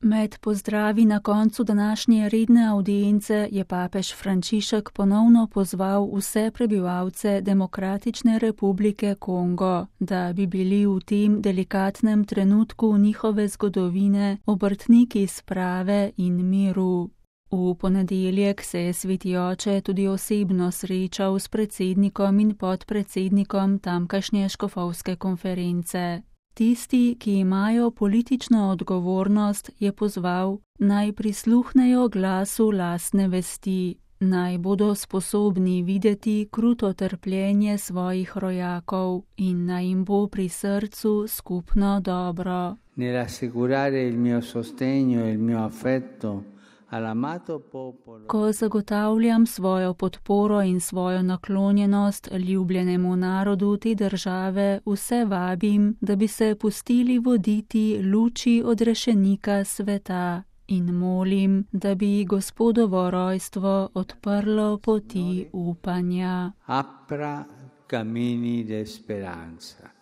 Med pozdravi na koncu današnje redne avdience je papež Frančišek ponovno pozval vse prebivalce Demokratične republike Kongo, da bi bili v tem delikatnem trenutku njihove zgodovine obrtniki sprave in miru. V ponedeljek se je sveti oče tudi osebno srečal s predsednikom in podpredsednikom tamkajšnje škofovske konference. Tisti, ki imajo politično odgovornost, je pozval, naj prisluhnejo glasu lastne vesti, naj bodo sposobni videti kruto trpljenje svojih rojakov in naj jim bo pri srcu skupno dobro. Nell'assicurare il mio sostegno e il mio affetto. Ko zagotavljam svojo podporo in svojo naklonjenost ljubljenemu narodu te države, vse vabim, da bi se pustili voditi luči odrešenika sveta in molim, da bi Gospodovo rojstvo odprlo poti upanja. Apra cammini di speranza.